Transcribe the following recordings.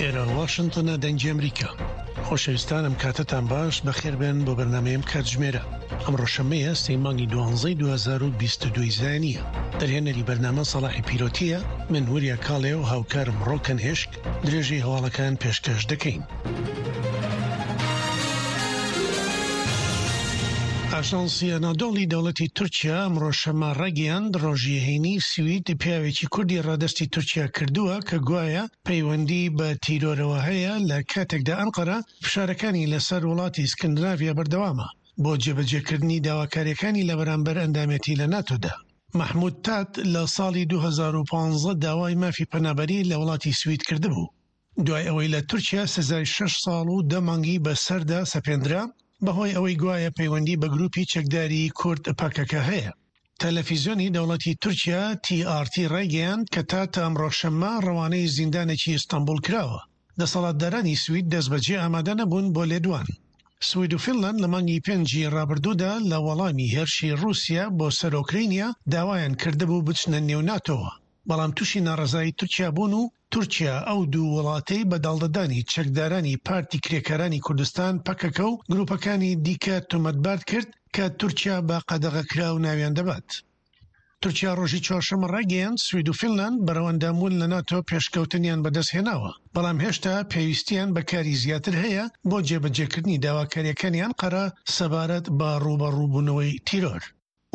ئێرە واشنتنە دەنگی ئەمریکا. خۆشەویستان ئەم کاتەتان باش بەخێربێن بۆ بەرنامەی ئەم کاتژمێرە. ئەمڕۆ شەممەیە سێی مانگی دوانزەی 2022 زایینییە. دەرهێنەری بەرنامە سەڵاحی پیرۆتییە، من وریا کاڵێ و هاوکارم ڕۆکەن هێشک درێژەی هەواڵەکان پێشکەش دەکەین. ئاژانسی ئەنادۆڵی دەوڵەتی تورکیا ئەمڕۆ شەممە ڕایگەیاند، ڕۆژی هەینی سوید پیاوێکی کوردی ڕادەستی تورکیا کردووە کە گوایە پەیوەندی بە تیرۆرەوە هەیە لە کاتێکدا ئەنقەرە فشارەکانی لەسەر وڵاتی سکندناڤیا بەردەوامە بۆ جێبەجێکردنی داواکارییەکانی لە بەرامبەر ئەندامێتی لە ناتۆدا. مەحمود تات لە ساڵی 2015 داوای مافی پەنابەری لە وڵاتی سوید کردبوو. دوای ئەوەی لە تورکیا سزای شەش ساڵ و دە مانگی بەسەردا سەپێندرا، بەهۆی ئەوەی گوایە پەیوەندی بە گروپی چەکداری کورد پەکەکە هەیە. تەلەفیزیۆنی دەوڵەتی تورکیا تی ئاڕ تی ڕایگەیاند کە تات ئەمڕۆ شەممە ڕەوانەی زیندانێکی ئیستەنبوڵ کراوە. دەسەڵاتدارانی سوید دەستبەجێ ئامادە نەبوون بۆ لێدوان. سوید و فینلاند لە مانگی پێنجی ڕابردوودا لە وەڵامی هێرشی ڕووسیا بۆ سەر ئۆکرەینیا داوایان کردبوو بچنە نێو ناتۆوە، بەڵام تووشی ناڕەزایی تورکیا بوون و تورکیا ئەو دوو وڵاتەی بە داڵدەدانی چەکدارانی پارتی کرێکارانی کوردستان، پەکەکە، و گروپەکانی دیکە تۆمەتبار کرد کە تورکیا بە قەدەغەکراو ناویان دەبات. تورکیا ڕۆژی چوارشەممە ڕایگەیاند، سوید و فینلاند بەرەو ئەندامبوون لە ناتۆ پێشکەوتنیان بەدەستهێناوە، بەڵام هێشتا پێویستیان بە کاری زیاتر هەیە بۆ جێبەجێکردنی داواکارییەکانی ئەنقەرە سەبارەت بە ڕووبەڕووبوونەوەی تیرۆر.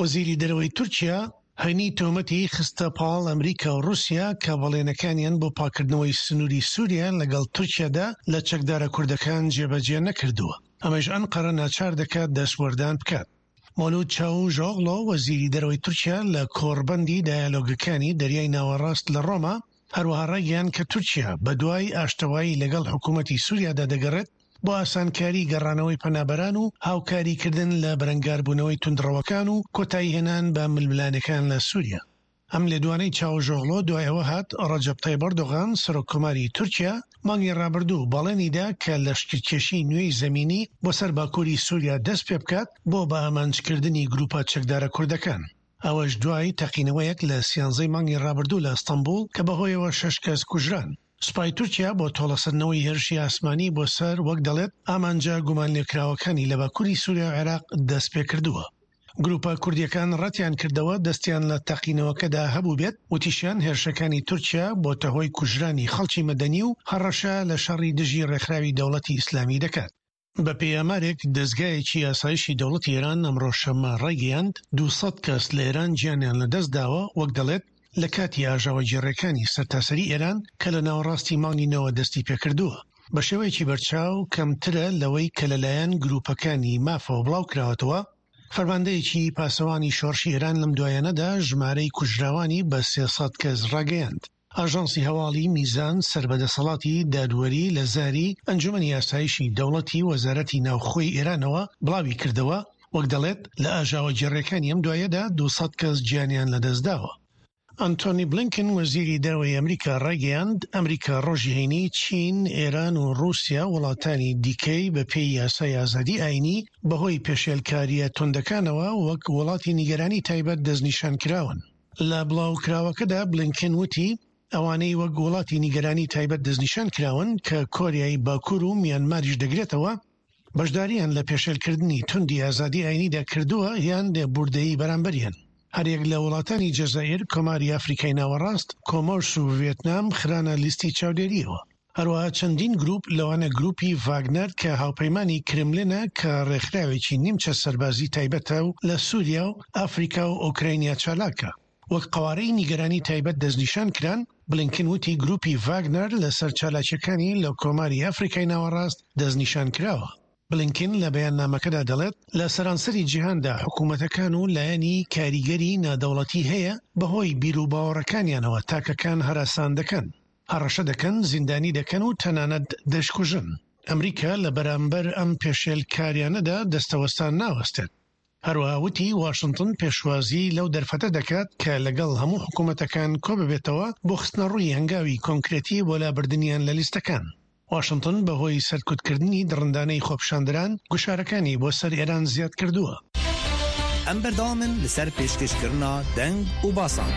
وەزیری دەرەوەی تورکیا هەینی تۆمەتی خستە پاڵ ئەمریکا و ڕووسیا کە بەڵێنەکانیان بۆ پاککردنەوەی سنووری سووریا لەگەڵ تورکیادا لە چەکدارە کوردەکان جێبەجێ نەکردووە، ئەمەش ئەنقەرە ناچار دەکات دەستوەردان بکات. مەولود چاووشئۆغلۆ، وەزیری دەرەوەی تورکیا لە کۆڕبەندی دایالۆگەکانی دەریای ناوەڕاست لە ڕۆما هەروەها ڕایگەیاند کە تورکیا بەدوای ئاشتەوایی لەگەڵ حکوومەتی سووریادا دەگەڕێت بۆ ئاسانکاری گەڕانەوەی پەنابەران و هاوکاریکردن لە بەرەنگاربوونەوەی توندڕەوەکان و کۆتاییهێنان بە ململانێکان لە سووریا. ئەم لێدوانەی چاوشئۆغلۆ دوای ئەوە هات، ڕەجەب تەیب ئەردۆغان، سەرۆککۆماری تورکیا، مانگی ڕابردوو بەڵێنی دا کە لەشکرکێشیی نوێی زەمینی بۆ سەر باکووری سووریا دەست پێ بکات بۆ بەئامانجکردنی گرووپە چەکدارە کوردەکان. ئەوەش دوای تەقینەوەیەک لە سیانزەی مانگی ڕابردوو لە ئەستەنبوڵ کە بەهۆیەوە شەش کەس کوژران. سوپای تورکیا بۆ تۆڵەسەندنەوەی هێرشی ئاسمانی بۆ سەر وەک دەڵێت ئامانجە گومانلێکراوەکانی لە باکووری سووریا و عێراق دەستپێکردووە. گرووپە کوردییەکان ڕەتیانکردەوە دەستیان لە تەقینەوەکەدا هەبووبێت، وتیشیان هێرشەکانی تورکیا بۆتە هۆی کوژرانی خەڵکی مەدەنی و هەڕەشە لە شەڕی دژی ڕێکخراوی دەوڵەتی ئیسلامی دەکات. بەپێی ئامارێک دەزگایەکی ئاسایشی دەوڵەتی ئێران ئەمڕۆ شەممە ڕایگەیاند، 200 کەس لە ئێران گیانیان لەدەستداوە، وەک دەڵێت لە کاتی ئاژاوەگێڕییەکانی سەرتاسەری ئێران کە لە ناوەڕاستی مانگی نۆوە دەستیپێکردووە، بە شێوەیەکی بەرچاو کەمترە لەوەی کە لەلایەن گرووپەکانی مافەوە بڵاوکراوەتەوە. فەرماندەیەکی پاسەوانی شۆڕشی ئێران لەم دوایانەدا ژمارەی کوژراوانی بە 300 کەس ڕاگەیاند. ئاژانسی هەواڵی میزان سەر بە دەسەڵاتی دادوەری لە زاری ئەنجومەنی ئاسایشی دەوڵەتی وەزارەتی ناوخۆی ئێرانەوە بڵاوی کردەوە، وەک دەڵێت لە ئاژاوەگێڕیەکانی ئەم دوایەدا 200 کەس گیانیان لەدەستداوە. ئەنتۆنی بلینکن وەزیری دەرەوەی ئەمریکا ڕایگەیاند، ئەمریکا ڕۆژی هەینی چین، ئێران و ڕووسیا وڵاتانی دیکەی بەپێی یاسای ئازادی ئایینی بەهۆی پێشێلکارییە توندەکانەوە وەک وڵاتی نیگەرانی تایبەت دەستنیشانکراون. لە بڵاوکراوەکەدا بلینکن وتی، ئەوانەی وەک وڵاتی نیگەرانی تایبەت دەستنیشان کراون کە کۆریای باکوور و میانماریش دەگرێتەوە، بەشدارییان لە پێشێلکردنی توندی ئازادی ئاینیدا کردووە یان لێبووردەیی بەرامبەریان. هەریەک لە وڵاتانی جەزائیر، کۆماری ئەفریکای ناوەڕاست، کۆمۆرس و ڤێتنام خرانە لیستی چاودێرییەوە. هەروەها چەندین گروپ لەوانە گروپی ڤاگنەر کە هاوپەیمانی کرملنە کە ڕێکخراوێکی نیمچە سەربازی تایبەتە و لە سوریا و ئەفریکا و ئۆکرەینیا چالاکە وەک قەوارەی نیگەرانی تایبەت دەستنیشان کران، بلینکن وتی گروپی ڤاگنەر لەسەر چالاکیەکانی لە کۆماری ئەفریکای ناوەڕاست دەستنیشان کراوە. بلینکن لە بەیاننامەکەدا دەڵێت لە سەرانسەری جیهاندا حکومەتەکان و لایەنی کاریگەری نادەوڵەتی هەیە بەهۆی بیروباوەڕەکانیانەوە تاکەکان هەراسان دەکەن. هەڕەشە دەکەن، زیندانی دەکەن و تەنانەت دەشکوژن. ئەمریکا لە بەرامبەر ئەم پێشێلکاریانەدا دەستەوەستان ناوەستێت. هەروەها وتی، واشنتن پێشوازی لەو دەرفەتە دەکات کە لەگەڵ هەموو حکومەتەکان کۆببێتەوە بۆ خستنەڕووی هەنگاوی کۆنکرێتی بۆ لابردنیان لە لیستەکان. واشنتن بەهۆی سەرکوتکردنی دڕندانەی خۆپیشاندەران گوشارەکانی بۆ سەر ئێران زیادکردووە. ئەم بەردەوامن لەسەر پێشکەشکردنا دەنگ و باسان.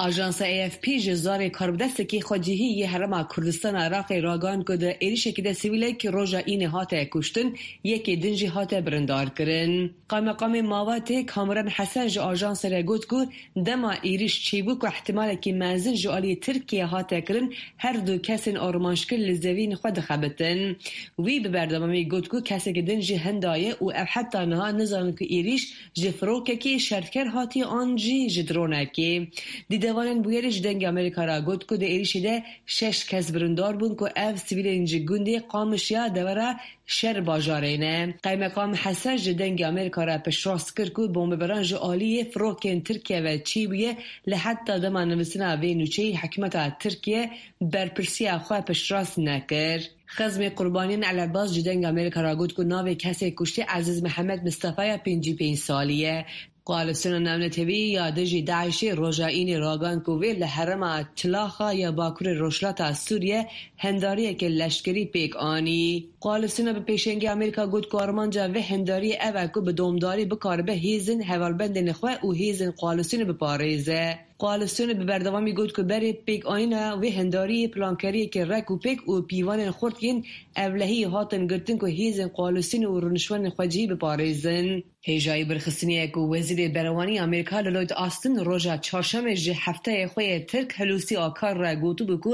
Ajansa AFP ji zarê karbidestekî xwecihî yê Herêma Kurdistana Iraqê ragihand ku di êrişekî de sivîlek roja Înê hate kuştin, yekê din jî hate birindarkirin. Qaymeqamê Mawatê Kamuran Hesen ji ajansê re got ku dema êriş çêbû ku îhtimalekî mezin ji aliyê Tirkiyeyê hate kirin, her du kesên armanckir li zeviyên xwe dixebitin. Wî bi berdewamî got ku kesekî din jî hinda ye û ew heta niha nizanin ku êriş Ji firokekê şerker hatiye an jî ji dronekê. Dîdevanên bûyerê ji Dengê Amerîka re got ku di êrîşê de şeş kes birindar bûn ku ev sivîlên ji gundê Qamiş ya devera Şer bajarê ne. Qeymeqam Hesen ji Dengê Amerîka re piştrast kir ku bombebaran ji aliyê firokên Tirkiye ve çêbûye lê heta dema nivîsîna vê nûçeyê hikûmeta Tirkiye berpirsiya xwe piştrast nekir. Xezmê qurbaniyên Elebas ji Dengê Amerîka re got ku navê kesê kuştî Ezîz Mihemed Mistefa ya 55 salî ye. Koalîsyona Navnetewî ya dijî DAIŞ'ê roja Înê ragihand ku wê li herêma Tilaxa ya bakurê rojhilata Sûriye hendariyeke leşkerî pêk anî. Koalîsyona bi pêşengiya Amerîka got ku armanca vê hendariyê ev e ku bi domdarî bikaribe hêzên hevalbendên xwe û hêzên koalîsyonê biparêze. Koalîsyonê bi berdewamî got ku berê pêkanîna vê hendariyê plankeriyeke rek û pêk û pîvanên xurt yên ewlehiyê hatin girtin ku hêzên koalîsyonê û rûniştvanên xwecihî biparêzin. Hêjayî birxistinê ye ku Wezîrê Berevanî Amerîka Lloyd Austin roja Çarşemê ji hefteyê xwe yê Tirk Hulusi Akar re gotibû ku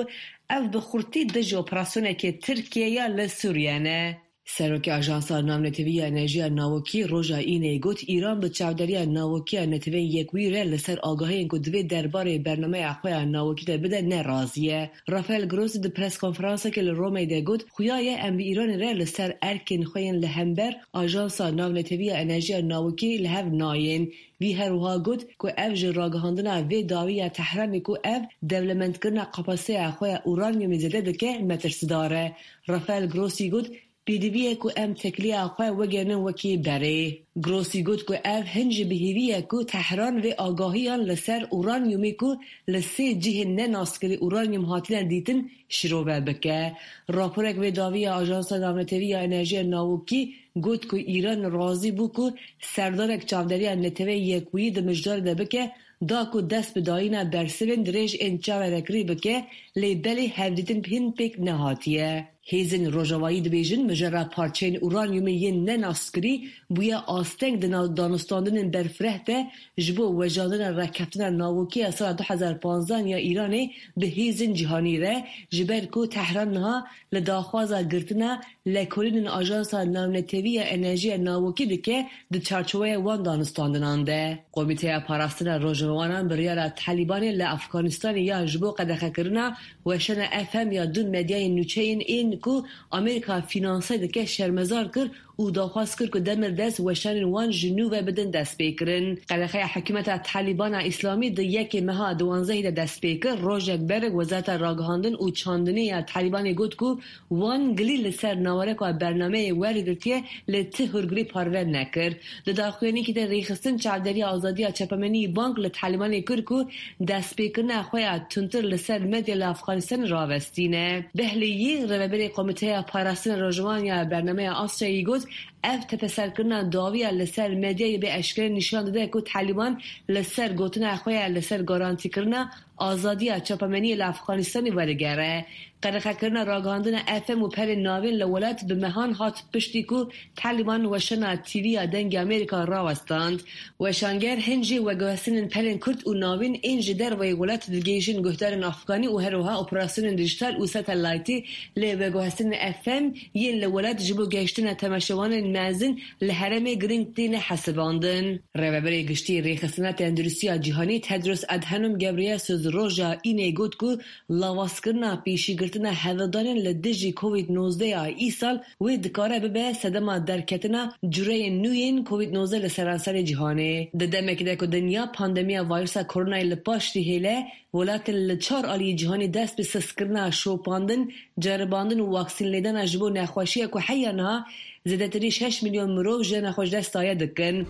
ew bi xurtî dijî operasyoneke Tirkiyê ya li Sûriye ne. Serokê Ajansa Navnetewî ya Enerjiya Navokî roja Înê got Îran bi çavderiya navokî ya Neteweyên Yekbûyî re li ser agahiyên ku divê derbarê bernameya xwe ya navokî de bide ne razî ye. Rafael Grossi di preskonferansekê li Romeyê de got, Xuya ye em bi Îranê re li ser erkên xwe yên li hember Ajansa Navnetewî ya Enerjiya Navokî li hev nayên. Wî her wiha got ku ev ji ragihandina vê dawî ya Tehranê ku ev dewlemendkirina kapasîteya xwe ya uranyumê zêde dike metirsidar e. Rafael Grossi got, Pêdivî ye ku em tekiliya xwe wegerînin wekî berê. Grossi got ku ev hin jî bi hêvî ye ku Tehran vê agahiyan li ser uranyumê ku li sê cihên nenaskirî uranyum hatine dîtin şirove bike. Raporek vê dawî ya Ajansa Navnetewî ya Enerjiya Navokî got ku Îran razî bû ku serdanek çavderiya Neteweyê Yekbûyî di mijdarê de bike da ku dest bi dayîna bersivên dirêj ên çaverekirî bike, lê belê hevdîtin hîn pêk nehatiye. Hêzên Rojavayî dibêjin mijara parçeyên uranyumê yên nenaskirî bûye asteng di nav danûstandinên berfireh de ji bo wejandina rekeftina navokî ya sala 2015 ya Îranê bi hêzên cîhanî re, ji ber ku Tehran niha li daxwaza girtina lekolînên Ajansa Navnetewî ya Enerjiya Navokî dike di çarçoweya wan danûstandinan de. Komîteya Parastina Rojnamevanan biryara Talîbanê li Afganistanê ya ji bo qedexekirina weşana FM ya du medyayên nûçeyên ên ku Amerîka fînanse dike şermezar kir û daxwaz kir ku demildest weşanên wan ji nû ve bidin destpêkirin. Qedexeya hikûmeta Talîbana Îslamî di yekê meha diwanzdehî de dest pê kir. Rojek berê Wezareta Ragihandin û Çandinê ya Talîbanê got ku wan gilî li ser nawereka bernameyê wergirtiye lê ti hûrgilî parve nekir. Di daxuyaniyekî de Rêxistin Çavdêriya Azadiya Çapemeniyê bang li Talîbanê kir ku destpêkirina xwe ya tundtir li ser medya li Afxanistanê ravestîne. Behliyî, Rêveberê Komîteya Parastina Rojvan ya Bernameya Asyayê got, Ev tepeserkirina dawî ya li ser medyayê bê eşkere nîşan dide ku Talîban li ser gotina xwe ya li ser garantîkirina azadiya çapemeniyê li Afxanistanê werdigere. Qedexekirina ragihandina FM û perên navên li welat bi mehan hat piştî ku Talîban weşana TV ya Dengê Amerîka rawestand. Weşanger hin jî weguhestinên pelên kurt û navîn ên ji derveyê welat digihîjin guhdarên Afganî û her wiha operasyonên dijîtal û satelaytî lê weguhestinên FM yên li welat ji bo gihîştina temaşevanên mezin li herêmê girîng têne hesibandin. Rêveberê Giştî yê Rêxistina Tenduristiya Cîhanî Tedros Adhanom Ghebreyesus roja Înê got ku lawazkirina pêşîgirtina hevldanên li dijî Covid 19 ya îsal wê dikare bibe sedema derketina cureyên nû yên Covid 19 li seranserê cîhanê. Di demekê de ku dinya pandemiya vayrusa koronayê li paş dihêle, welatên li çar aliyê cîhanê dest bi sistkirina şopandin, ceribandin û waksînlêdana ji bo nexweşiya ku heya niha zêdetirî şeş milyon mirov jiyana xwe ji dest daye dikin.